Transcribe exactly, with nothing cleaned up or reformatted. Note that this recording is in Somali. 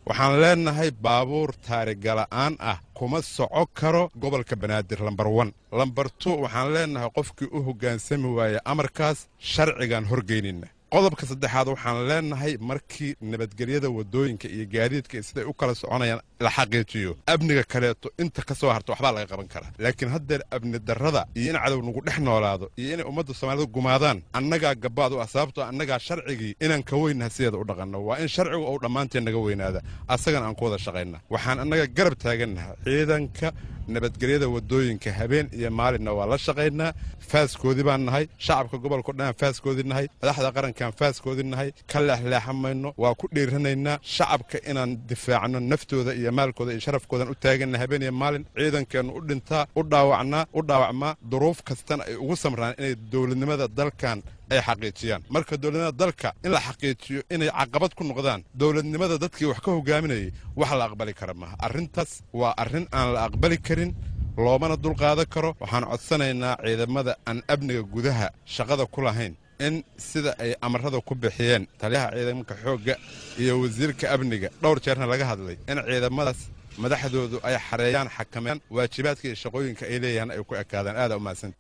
Waxaan leenahay baabuur taarigala'aan ah kuma soco karo gobolka Banaadir, lambar wan. Lambar tu, waxaan leenahay qofkii u hoggaansami waaya amarkaas sharcigaan horgeynayna. Qodobka saddexaad, waxaan leenahay markii nabadgelyada waddooyinka iyo gaadiidka siday u kala soconayaan la xaqiijiyo, amniga kaleeto inta ka soo harta waxbaa laga qaban karaa. Laakiin haddeer amni darrada iyo in cadow nagu dhex noolaado iyo inay ummadda Soomaalida gumaadaan annagaa gabaad u ah, sababtoo annagaa sharcigii inaan ka weynaha sideeda u dhaqanno. Waa in sharcigu uu dhammaanteen naga weynaada, asagana aan ku wada shaqayna. Waxaan annaga garab taagannaha ciidanka nabadgelyada waddooyinka, habeen iyo maalinna waa la shaqaynaa. Faaskoodii baan nahay, shacabka gobolka o dhan aan faaskoodii nahay, madaxda qarankaan faaskoodii nahay. Ka leexleexan mayno, waa ku dhiiranaynaa shacabka inaan difaacno naftooda iyo maalkooda iyo sharafkoodan u taaganna habeen iyo maalin. Ciidankeennu u dhintaa, u dhaawacnaa, u dhaawacmaa, duruuf kastana ay ugu samraan inay dowladnimada dalkan ay xaqiijiyaan. Marka dowladnimada dalka in la xaqiijiyo inay caqabad ku noqdaan dowladnimada dadkii wax ka hogaaminayay, wax la aqbali kara maaha. Arrintaas waa arrin aan la aqbali karin, loomana dulqaadan karo. Waxaan codsanaynaa ciidamada aan amniga gudaha shaqada ku lahayn in sida ay amarada ku bixiyeen taliyaha ciidanka xoogga iyo wasiirka amniga, dhowr jeerna laga hadlay, in ciidamadaas madaxdoodu ay xareeyaan, xakameeyaan, waajibaadka iyo shaqooyinka ay leeyahaan ay ku ekaadaan. Aada u mahadsan.